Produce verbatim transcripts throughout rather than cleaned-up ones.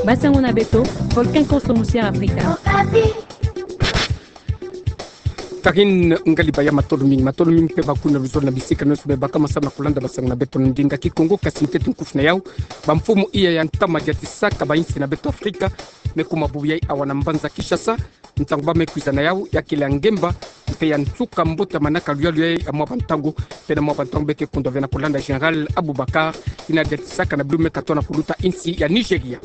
Basango na beto, volcan Konso musi'â Afrika. Tariñ, ngali baya matolo mingi, matolo mingi mpe bakuna luzolo na bisika nyonso me bakama samu na kulanda basango na beto na ndinga Kikongo. Kasi ntete nkufi na yau, bamfumu iya ya ntama diatisaka bainsi na beto Afrika me kuma bubu yai awa na mbanza Kinshasa. Ntangu ba me kwiza na yau, ya kele ya ngemba mpe ya nsuka mbota manaka luyalu yai ya mwa bantangu. Mpe na mwa bantangu be ke kundwa ve na kulanda Général Aboubacar, yina diatisaka na bilo me katoa na kuluta insi ya Nigeria.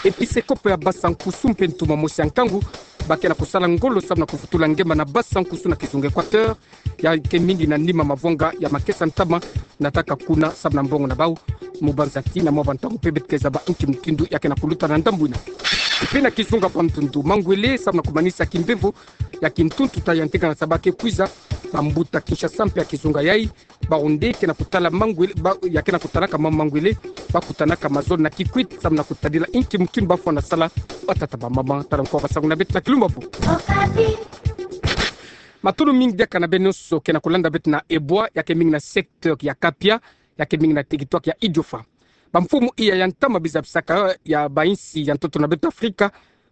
Episekopo ya Basankusu mpe ntuma mosi ya nkangu ba ke na kusala ngolo samu na kuvutula ngemba na Basankusu na kizunga Équateur, ya ke mingi na nima mavwanga ya makesa ntama nataka kuna samu na mbongo na bau. Mu banza ti na mwa bantangu mpe beto ke zaba inki mutindu ya ke na kuluta na ndambu ina. Mpe na kizunga Bandundu, mangwele samu na kumanisa kimbevo ya kintuntuta ya ntekana sa ba ke kwiza, bambuta Kinshasa mpe ya kizunga yai, bawu nde ke na kutala mangwele, ba, ya ke na kutalaka ma mangwele, ba kutanaka mazolo na Kikwit samu na kutadila inki mutindu ba fwana sala, batata bamama. Tala nkoa basango na beto na kilumbavu. Matolo mingi diaka na beno nyonso ke na kulanda beto na Ebwa, ya ke mingi na secteur ya Kapia, ya ke mingi na territoire ya Idiofa. Bamfumu iya ya ntama bizabisaka ya bainsi ya ntoto na beto Afrika,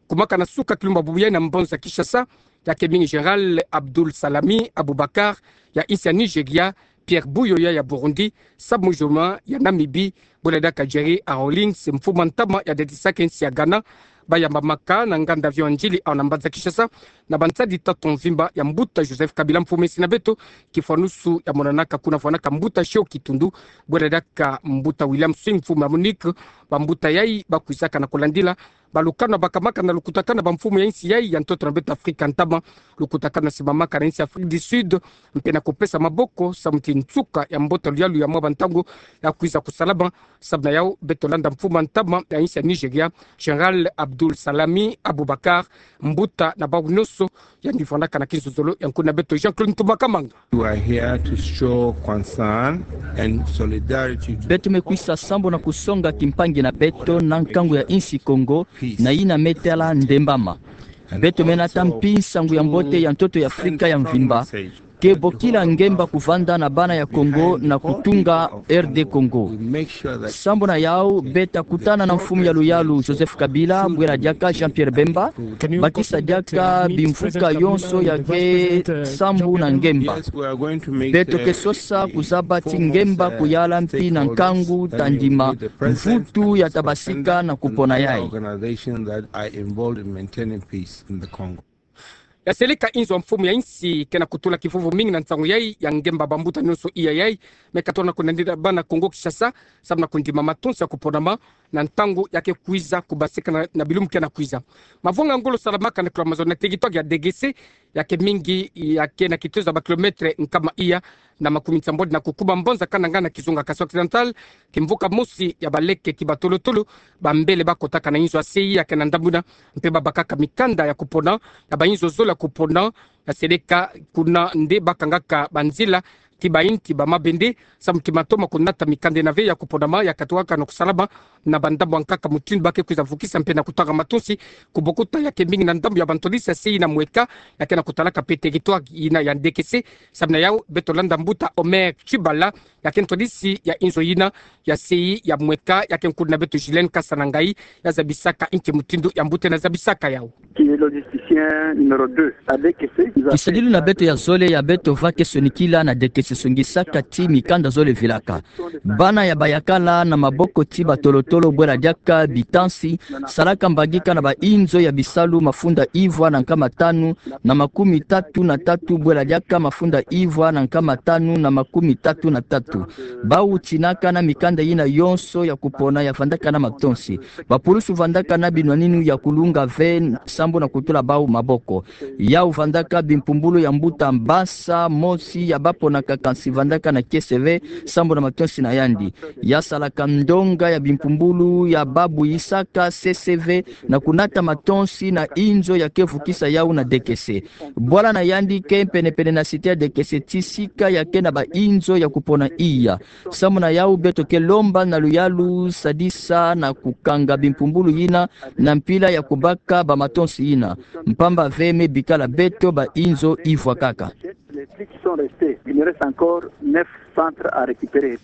kumaka na suka kilumbavu yai na mbanza Kinshasa, ya ke mingi Général Abdul Salami Aboubacar ya insi ya Nigeria, Pierre Buyoya ya Burundi, Sam Nujoma ya Namibie, bwela diaka Gerry Rawlings, mfumu a ntama ya diatisaka insi ya Ghana, ba yambamaka na nganda avion ya Ndjili awa na mbanza Kinshasa, na bansadi tatu mvimba ya mbuta Joseph Kabila, mfumu a insi na beto, kifwanusu ya monanaka kuna fwanaka mbuta Sio Kitundu, bwela diaka mbuta William Swing, mfumu a Monique. Bambuta yai ba kwizaka na kulandila balukanu bakamaka na lukutakanu na bamfumu ya insi yai ya ntoto na beto Afrika ntama, lukutakanu na simamaka na insi Afrique du Sud, mpe na kupesa maboko samu ti nsuka ya mbota luyalu ya mwa bantangu ya kwiza kusalama. Samu na yau beto landa mfumu a ntama ya insi ya Nigeria, Général Abdul Salami Aboubacar, mbuta na bawu nyonso, yandi fwanaka na kinzozolo ya nkuna beto Jean-Claude Ntumba Kamanga. We are here to show concern and solidarity to Beto me kwisa sambu na kusonga kimpangi na beto na nkangu ya insi Kongo, na yina me tala ndembama. Beto me nata mpi nsangu ya mbote ya ntoto ya Afrika ya mvimba, ke bokila ngemba kuvanda na bana ya Kongo na kutunga R D Congo. Sambu na yau, beta kutana na mfumu ya luyalu Joseph Kabila, bwela diaka Jean-Pierre Bemba, bakisa diaka bimvuka yonso ya ke sambu na ngemba. Beto ke sosa kuzaba ti ngemba kuyala mpi na nkangu ta ndima mvutu ya tabasika na kupona yai. Ya seleka inzo ya mfumu ya insi ke na kutula kivuvu mingi na nsangu yai ya ngemba bambuta nyonso iya yai me katola na kunandila bana Kongo Kinshasa, samu na kundima matonsi ya kuponama na ntangu ya ke kwiza kubasika na, na bilumbu ke na kwiza. Mavanga ngolo salamaka na kilomètre na territoire ya D G C, ya ke mingi, ya ke na kitezo ya ba kilomètre nkama iya na makumi nsambwadi na kukuma, mbanza Kananga na kizunga Kasai Occidental, kimvuka mosi ya baleke ti batolotolo, bambele bakotaka na inzo ya sei ya ke na ndambu ina, mpe babakaka mikanda ya kupona ya bainzo zole ya kupona, ya seleka kuna nde bakangaka banzila ti bainti ba mabende, samu ti matoma kunata mikanda ina ve ya kuponama ya katuaka na kusalama na bandambu ya nkaka mutindu ba ke kwiza vukisa mpe na kutanga matonsi ku bokuta ya ke mingi na ndambu ya bantwadisi ya sei na mweka, ya ke na kutalaka mpe territoire ina ya ndekese. Samu na yau, beto landa mbuta Omer Tshibala, ya ke ntwadisi ya inzo ina ya sei ya mweka, ya ke nkulu na beto Gilène Kasanangayi, ya zabisaka inki mutindu ya mbuta ina zabisaka yau. Qui est logisticien numéro deux à D K C. Kisadilu na beto ya zole ya beto va ke sonikila na D K C songisaka ti mikanda zole vilaka. Bana ya bayakala na maboko ti batolotolo bwela diaka bitansi, salaka mbangika na bainzo ya bisalu mafunda ivwa na nkama tanu na makumi tatu na tatu bwela diaka mafunda ivwa na nkama tanu na makumi tatu na tatu. Bau tinaka na mikanda ina yonso ya kupona ya vandaka na matonsi. Bapulusu vandaka na binwaninu ya kulunga ve sambu na kutula bau maboko. Yau vandaka bimpumbulu ya mbuta Mbasa, mosi ya baponaka kansi vandaka na kiese ve sambu na matonsi na yandi. Ya salaka ndonga ya bimpumbulu ya babuyisaka C C V na kunata matonsi na inzo ya ke vukisa yau na D K C. Bwala na yandi ke penepene na cité ya D K C ti sika ya ke na bainzo ya kupona iya. Samu na yau, beto ke lomba na luyalu sadisa na kukanga bimpumbulu ina na mpila ya kubaka bamatonsi ina, mpamba ve me bikala beto bainzo ivwa kaka. Les plus qui sont restés, il me reste encore neuf centres à récupérer.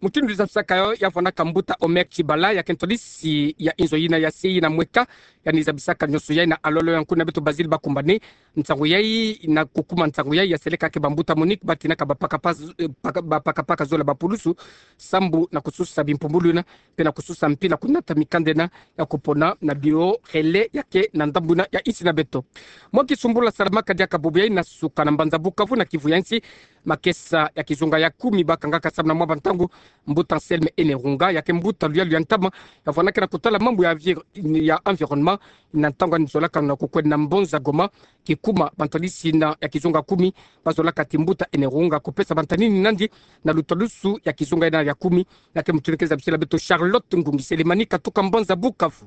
Mutindu zabisaka yo ya vwanaka mbuta Omer Tshibala, ya ke ntwadisi ya inzo yina ya se na mweka, yandi zabisaka nionso yayi na alolo ya nkuna beto Basile Bakumbane. Nsangu yayi na kukuma nsangu yayi ya seleka ke bambuta Monique batinaka bapakapaka, eh, paka-, bapakapaka zola bapulusu, sambu na kususa bimpumbulu yina, mpe na kususa mpila kunata mikanda yina ya kupona na biro relais ya ke na ndambu yina ya insi na beto. Mwa kisumbula salamaka diaka bubu yayi na suka na mbanza Bukavu na Kivu ya nsi, makesa ya kizunga ya kumi bakangaka samu na mwa bantangu, mbuta Anselme Enerunga, ya ke mbuta luyalu ya ntama, ya vwanaka na kutala mambu ya envir-, ya environnement, na ntangu yandi zolaka na kukwenda na mbanza Goma, kikuma bantwadisi yina ya kizunga kumi, bazolaka ti mbuta Enerunga kupesa bantanini nandi na lutwadusu ya kizunga yina ya kumi, ya ke mutindu ke zabisela beto Charlotte Ngungi Selemani katuka mbanza Bukavu.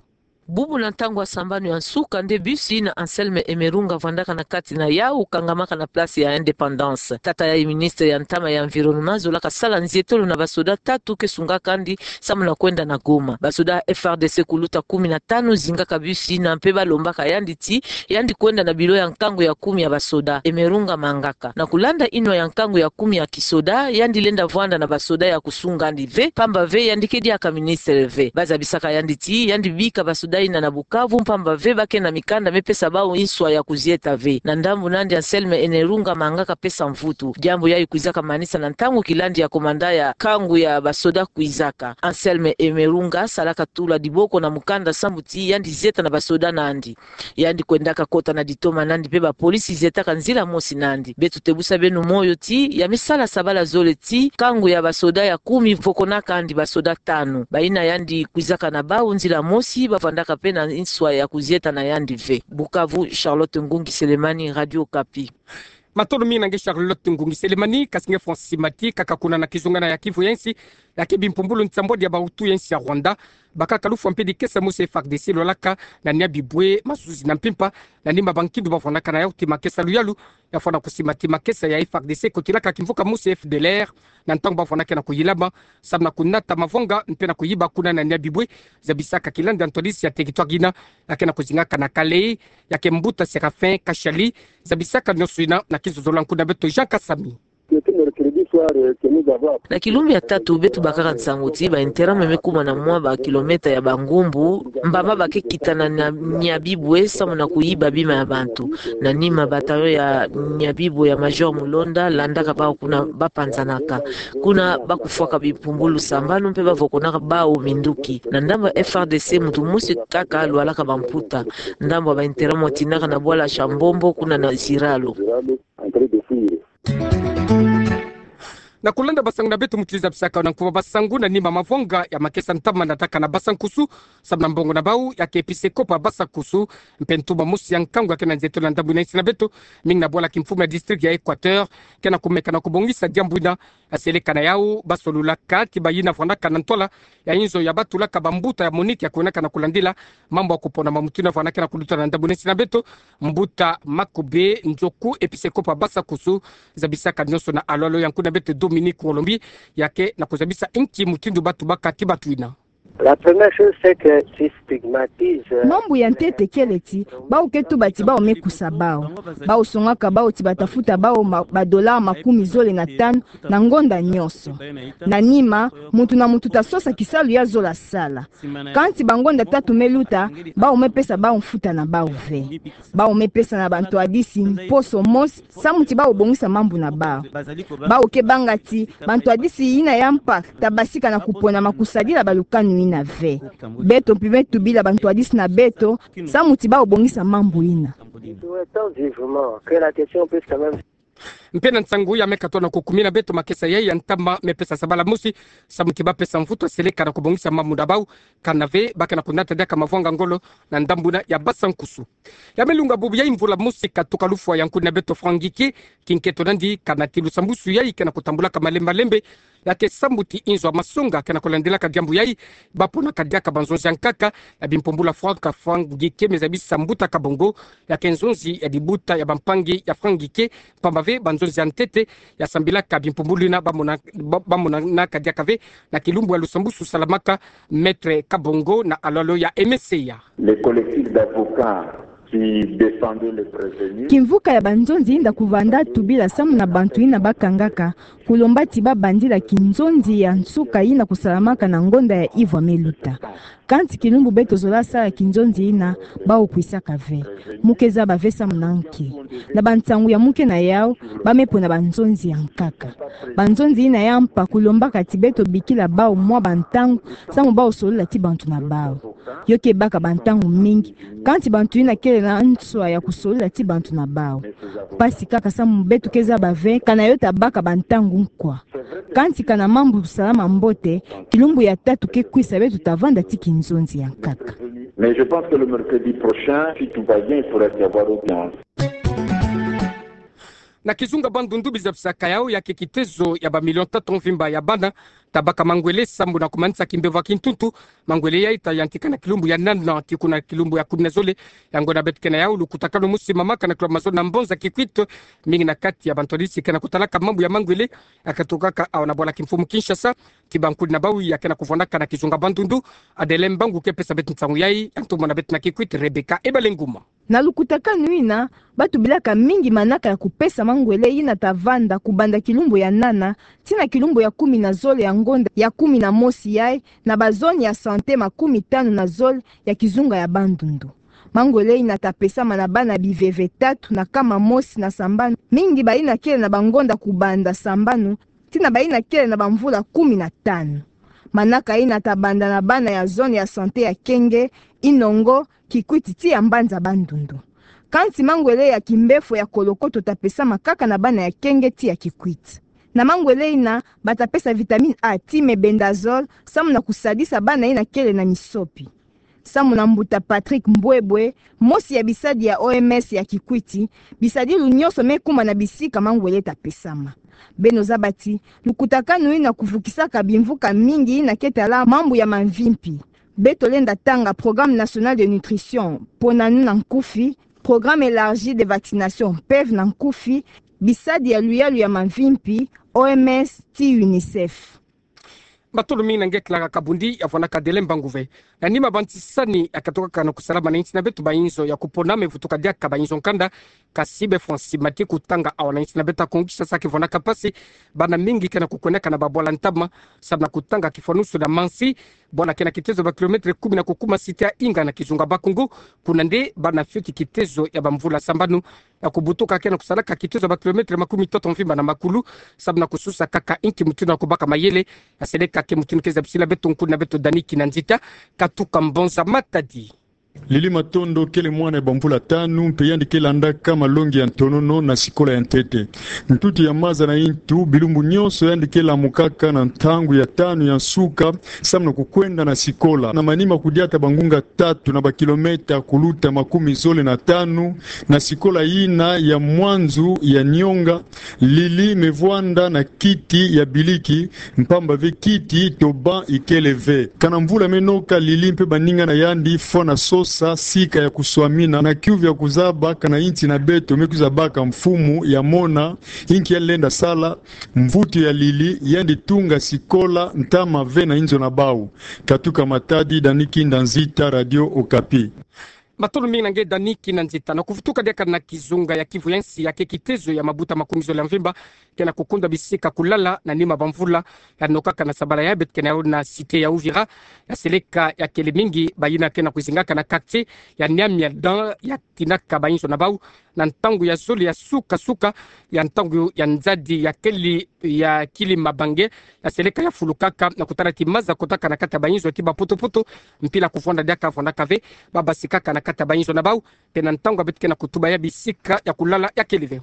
Bubu na ntangu ya sambanu ya nsuka nde bus yina Anselme Enerunga vwandaka na kati na yawu kangamaka na place ya Indépendance. Tata yayi ministre ya ntama ya environnement zolaka sala nzietolo na basoda tatu ke sungaka yandi samu na kwenda na Goma. Basoda F R D C kuluta kumi na tanu zingaka bus yina mpe balombaka yandi ti yandi kwenda na biro ya nkangu ya kumi ya basoda. Enerunga amangaka. Na kulanda inwa ya nkangu ya kumi ya kisoda, yandi lenda vwanda na basoda ya kusunga yandi ve, mpamba ve yandi ke diaka ministre ve. Bazabisaka yandi ti yandi bika basoda yina na Bukavu, mpamba ve ba ke na mikanda me pesa bawu inswa ya kuzieta ve. Na ndambu na yandi Anselme Enerunga amangaka pesa mvutu. Diambu yayi kwizaka manisa na ntangu kilandi ya commandant ya nkangu ya basoda kwizaka. Anselme Enerunga asalaka tula diboko na mukanda sambu ti yandi zieta na basoda na yandi. Yandi kwendaka kota na ditoma na yandi mpe bapolisi zietaka nzila mosi na yandi. Beto tebusa beno moyo ti ya me sala sabala zole ti nkangu ya basoda ya kumi vokonaka yandi basoda tanu. Bayina yandi kwizaka na bawu nzila mosi, bavwandaka mpe na inswa ya kuzieta na yandi ve. Bukavu, Charlotte Ngungi Selemani, Radio Okapi. Matondo mingi na nge Charlotte Ngungi Selemani, kasi nge Francis Mati, kaka kuna na kizunga yina ya Kivu ya nsi, ya ke bimpumbulu nsambwadi ya bawutu ya nsi ya Rwanda, bakaka lufwa mpe dikesa mosi F R D C lwalaka na Nyabibwe, mazuzi na mpimpa, na nima bankindu bavwanaka na yawu ti makesa luyalu, ya vwanda kusimba ti makesa ya F R D C kotilaka kimvuka mosi F D L R, na ntangu bavwanaka na kuyilama, samu na kunata mavwanga, mpe na kuyiba kuna na Nyabibwe, zabisaka kilandi ya ntwadisi ya territoire yina, ya ke na kuzingaka na Kalehe, ya ke mbuta Séraphin Kashali, zabisaka nionso yina na kizozolo ya nkuna beto Jean Kasami. Na kilumbu ya tatu beto bakaka nsangu ti ba enterrement me kuma na mwa ba kilomètre ya bangumbu, mbamba ba ke kitana na Nyabibwe samu na kuyiba bima ya bantu. Na nima bataillon ya Nyabibwe ya Major Mulonda landaka bawu kuna bapanzanaka. Kuna bakufwaka bimpumbulu sambanu mpe bavokonaka bawu minduki. Na ndambu ya F R D C muntu mosi kaka lwalaka bamputa. Ndambu ya ba enterrement tindaka na bwala Shambombo kuna na Ziralo. Na kulanda basangu na beto mutindu zabisaka yo na nkuba basangu, na nima mavwanga ya makesa ntama nataka na Basa Nkusu, samu na mbongo na bawu ya ke episekopo ya Basa Nkusu, mpe ntuma mosi ya nkangu ya ke na nzietolo na ndambu yina insi na beto, mingi na bwala kimfumu ya district ya Equateur, ke na kumeka na kubongisa diambu yina. Aseleka na yawu, basololaka ti bayina vwandaka na ntwala ya inzo ya batulaka bambuta ya Monique ya kuenaka na kulandila mambu ya kupona ma mutindu yina vwandaka na kuluta na ndambu yina insi na beto, mbuta Makobe Nzoku, episekopo ya Basa Nkusu, zabisaka nionso na alolo ya nkuna beto Dominique Ngolombi, ya ke na kuzabisa inki mutindu batubaka ti batwina. La première chose, c'est que si stigmatise, euh, Mambu ya ntete kele ti bawu ke tuba ti bawu me kusa bawu. Bawu songaka bawu ti bata futa bawu ma, ba dollars makumi zole na tanu na ngonda nionso. Na nima, muntu na muntu ta sosa kisalu ya zola sala. Kansi bangonda tatu me luta, bawu me pesa bawu mfuta na bawu ve. Bawu me pesa na bantwadisi mposo mosi, samu ti bawu bongisa mambu na bawu. Bawu ke banga ti bantwadisi yina ya mpa ta basika na kupona ma kusadila balukanu yina ve. Beto mpe me tubila bantwadisi na beto, samu ti bawu bongisa mambu yina. Nous souhaitons vivement que la question puisse quand même Mpe na nsangu ya me katoa na kukumina beto, makesa yayi ya ntama me pesa sabala mosi, samu ti bapesa mvutu aseleka na kubongisa mambu na bawu, kana ve ba ke na kunata diaka mavwanga ngolo na ndambu yina ya Basa Nkusu. Ya me lunga bubu yayi mvula mosi katuka lufwa ya nkuna beto Franck Ngieke, kinketo nandi kana ti lusambusu yayi ke na kutambulaka malembe malembe, ya ke sambu ti inzo ya masonga ke na kulandilaka diambu yayi, baponaka diaka banzonzi ya nkaka ya bimpumbulu ya Franck, Franck Ngieke me zabisa mbuta Kabongo, ya ke nzonzi ya dibuta ya bampangi ya Franck Ngieke, mpamba ve banzonzi ya ntete ya sambilaka bimpumbulu yina bamona, ba, bamonanaka diaka ve na kilumbu ya lusambusu salamaka Maître Kabongo na alolo ya Aimé Seya. Le collectif d'avocats Qui défendait les prévenus. Kimvuka ya banzonzi inda kuvanda tubila samu na bantu yina bakangaka, kulomba ti babandila kinzonzi ya nsuka yina kusalamaka na ngonda ya ivwa me luta. Kansi kilumbu beto zola sala kinzonzi yina, bawu kwisaka ve. Mu ke zaba ve samu na nki. Na bansangu ya muke na yawu, ba me pona banzonzi ya nkaka. Banzonzi yina ya mpa kulombaka ti beto bikila bawu mwa bantangu, samu bawu solola ti bantu na bawu. Yo ke baka bantangu mingi, kansi bantu yina kele na nswa ya kusolola ti bantu na bawu. Mpasi kaka samu beto ke zaba ve, kana yo ta baka bantangu nkwa. Kansi kana mambu salama mbote, kilumbu ya tatu ke kwisa beto ta vanda ti kinzonzi ya nkaka. Mais je pense que le mercredi prochain, si tout va bien, il pourrait y avoir audience. Na kizunga Bandundu bizabisaka yawu ya ke kitezo ya ba million tatu mvimba ya bana ta baka mangwele sambu na kumanisa kimbevo ya kintuntu. Mangwele yayi ta yantika na kilumbu ya nana tii kuna kilumbu ya kumi na zole ya ngonda beto ke na yawu. Lukutakanu musi mamaka na kilwa mazo na Mbonza Kikwit, mingi na kati ya bantu ya lisi ke na kutalaka mambu ya mangwele ya katukaka awa na bwala kimfumu Kinshasa, ti bankuli na bawu ya ke na kuvwandaka na kizunga Bandundu. Adeline Mbangu ke pesa beto nsangu yayi, ya ntumwa na beto na Kikwit, Rebecca Ebalenguma. Na lukutakanu yina, ba tubilaka mingi manaka ya kupesa mangwele yina ta vanda kubanda kilumbu ya nana tii na kilumbu ya kumi na zole ya ngonda ya kumi na mosi yayi, na ba zone ya santé makumi tanu na zole ya kizunga ya Bandundu. Mangwele yina ta pesama na bana biveve tatu na kama mosi na sambanu, mingi bayina kele na bangonda kubanda sambanu, tii na bayina kele na bamvula kumi na tanu. Manaka yina ta banda na bana ya zone ya santé ya Kenge, Inongo, Kikwit tii ya Mbanza Bandundu. Kansi mangwele ya kimbefo ya kolokoto ta pesama kaka na bana ya Kenge tii ya Kikwit. Na mangwele yina, ba ta pesa vitamine A tii mebendazole, samu na kusadisa bana yina kele na misopi. Samu na mbuta Patrick Mbwebwe, mosi ya bisadi ya O M S ya Kikwit, bisadilu nyonso me kuma na bisika mangwele ta pesama. Beno zaba ti, lukutakanu yina kuvukisaka bimvuka mingi yina ke tala mambu ya mamvimpi. Beto lenda tanga Programme National de Nutrition, ponanu na nkufi, Programme Élargi de Vaccination, PEV na nkufi, bisadi ya luyalu ya mamvimpi, O M S tii UNICEF. Matondo mingi na nge Clara Kabundi, ya vwanaka Adeline Mbangu ve. Na nima banti sani ya katukaka na kusalama na insi na beto, bayinzo ya kupona me vutuka diaka bayinzo nkanda, kasi be fwa nsi mati kutanga awa na insi na beto ya Kongo Kinshasa ke vwanaka mpasi. Bana mingi ke na kukwenaka na babwala ntama, samu na kutanga kifwanusu na Mansi, bwala ke na kitezo ba kilomètre kumi na kukuma site ya Inga na kizunga Bakungu, kuna nde bana fioti kitezo ya bamvula sambanu ya kubutuka ke na kusalaka kitezo ba kilomètre makumi ntoto mvimba na makulu, samu na kususa kaka inki mutindu ya kubaka mayele. Ya seleka ke mutindu ke zabisila beto nkulu na beto Dani Kinanzita, katuka Mbonza Matadi. Lili Matondo kele mwana ya bamvula tanu, mpe yandi ke landaka malongi ya ntonono na sikola ya ntete. Ntutu ya maza na intu, bilumbu nyonso yandi ke lamukaka na ntangu ya tanu ya nsuka, samu na kukwenda na sikola. Na manima kudiata bangunga tatu na bakilomètre kuluta makumi zole na tanu, na sikola yina ya mwanzu ya Nyonga, Lili me vwanda na kiti ya biliki, mpamba ve kiti to banc ikele ve. Kana mvula me noka, Lili mpe baninga na yandi fwana sosa sika ya kuswamina, na kiuvu ya kuzaba kana insi na beto me kwiza baka mfumu ya mona inki yandi lenda sala. Mvutu ya Lili, yandi tunga sikola ntama ve na inzo na bawu. Katuka Matadi, Dani Kinanzita, Radio Okapi. Matondo mingi na nge Dani Kinanzita. Na kuvutuka diaka na kizunga ya Kivu ya nsi, ya ke kitezo ya mabuta makumi zole ya mvimba ke na kukunda bisika kulala na nima bamvula ya nokaka na sabala ya beto ke na yo na site ya Uvira. Ya seleka ya kele mingi bayina ke na kwizingaka na quartier ya Nyamiadan, ya tinaka bayinzo na bawu na ntangu ya zole ya suka-suka, ya ntangu ya nzadi ya keli ya kili mabange, ya seleka ya fulukaka na kutala ti maza kotaka na kati ya bayinzo ti baputuputu, mpila kuvwanda diaka vwandaka ve, babasikaka na kati ya bayinzo na bawu, mpe na ntangu ya beto ke na kutuba ya bisika ya kulala ya kele ve.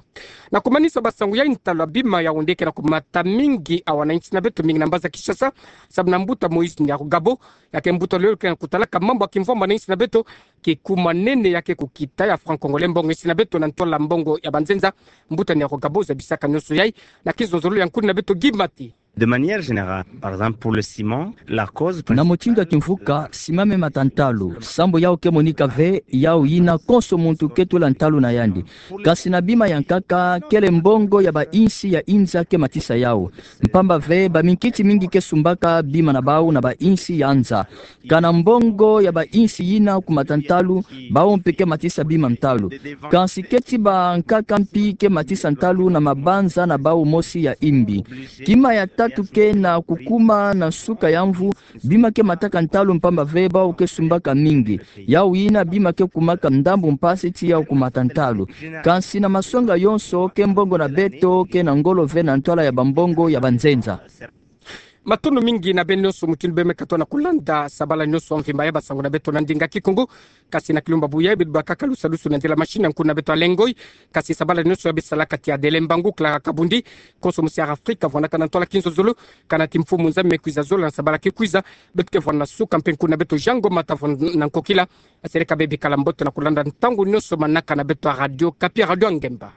Na kumanisa basangu ya intalwa, bima ya onde ke na kumata mingi awa na insi na beto, mingi na mbanza Kinshasa, samu na mbuta Moïse Nyarugabo, ya ke mbuta lolo ke na kutalaka mambu ya kimvwama na insi na beto, kikuma nene ya ke kukita ya franc congolais, mbongo insi na beto na ntwala mbongo ya banzenza. Mbuta Nyarugabo zabisaka nyonso yayi na kizonzolo ya nkulu na beto Guy Mate. De manière générale, par exemple, pour le ciment, la cause... Na motindo ya kimvuka, sima me mata ntalu. Sambu yau ke monika ve, yau yina konso muntu ke tula ntalu na yandi. Kasi na bima ya nkaka, kele mbongo ya bainsi ya inza ke matisa yau. Mpamba ve, baminkiti mingi ke sumbaka bima na bau na bainsi ya nza. Kana mbongo ya bainsi yina ku mata ntalu, bau mpe ke matisa bima ntalu. Kansi keti bankaka mpi ke matisa ntalu na mabanza na bau mosi ya imbi. Kima ya tatu ke na kukuma na nsuka ya mvu, bima ke mataka ntalu mpamba ve bau ke sumbaka mingi. Yau yina bima ke kumaka ndambu mpasi ti yau ku mata ntalu. Kansi na masonga yonso ke mbongo na beto ke na ngolo ve na ntwala ya bambongo ya banzenza. Matondo mingi na beno nyonso mutindu beno me katoa na kulanda sabala nyonso mvimba ya basango na beto na ndinga Kikongo. Kasi na kilumbu ya buya, beto bakaka lusalusu na nzila machine ya nkuna beto Alain Ngoy. Kasi sabala nyonso ya beto salaka tia Adèle Mbangu, Clara Kabundi, konso musi Air Afrique, vwanaka na ntwala kinzozolo, kana ti mfumu Nzambi me kwiza zola na sabala ke kwiza, beto ke vwana na suka mpe nkuna beto Jean Ngoma ta vwana na nkokila. Asereka beno bikala mbote na kulanda ntangu nyonso manaka na beto ya Radio Okapi, Radio ya Ngemba.